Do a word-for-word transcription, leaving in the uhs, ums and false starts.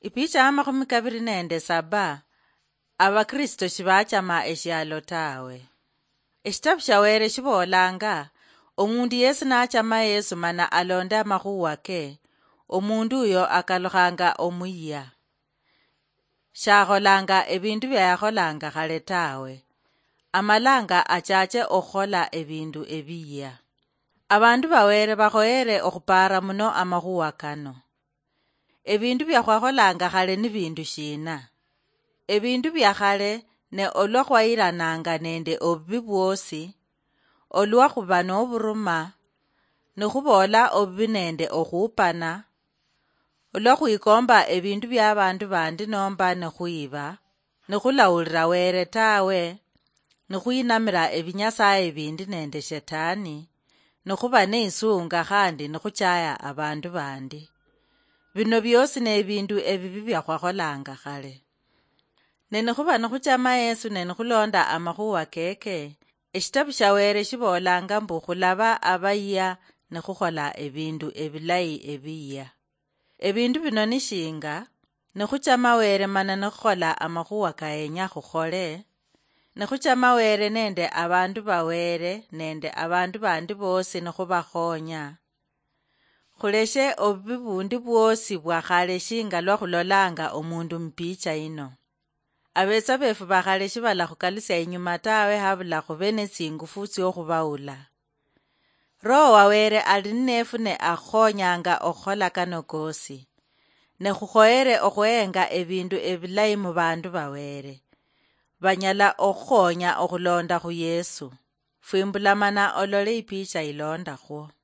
Ipicha ya makhumi kabiri nende saba. Abakristo shibachama eshialo tawe. Eshitabu sha Were shibolanga, omundu yesi nachama Yesu mana alonde amakhuwa ke, omundu uyo akalukhanga omuyia. Shakholanga ebindu bia yakholanga khale tawe. Amalanga achache okhukhola ebindu ebiyia. Abandu ba Were bakhoyere okhupara muno amakhuwa kano. Ebindu bia khwakholanga khale ni bindu shina? Ebindu bia khale ne olwa khwayirananga nende obubi bwosi, olwa khuba noburuma, nikhuboola obubi nende okhuupana, olwa khwikomba ebindu bia abandu bandi nomba nikhwiba, nikhulawulira Were tawe, nikhwinamira ebinyasaye bindi nende Shetani, nikhuba neisunga khandi nikhuchaya abandu bandi. Bino biosi nebindu ebibi bia khwakholanga khale. Ne nikhuba nikhuchama Yesu ne nikhulonda amakhuwa keke, eshitabu sha Were shibolanga mbu khulaba abayia nikhukhola ebindu ebilayi ebiyia. Ebindu bino nishinga, nikhuchama Were mana nikhukhola amakhuwa kayenya khukhole, nikhuchama Were nende abandu ba Were nende abandu bandi bosi nikhubakhonya. Khuleshe obubi bundi bwosi bwa khale shinga lwa khulolanga omundu mupicha ino. Abetsa befu bakhale shibalakhukalusia inyuma tawe habula khube netsingufu tsiokhubaula. Roho wa Were ali nnefu ne akhukhonyanga okhukhola kano kosi. Ne khukhoyere okhweyenga ebindu ebilayi mu bandu ba Were. Banyala okhukhonya okhulonda khu Yesu. Fwimbulamana olole ipicha ilondakhwo.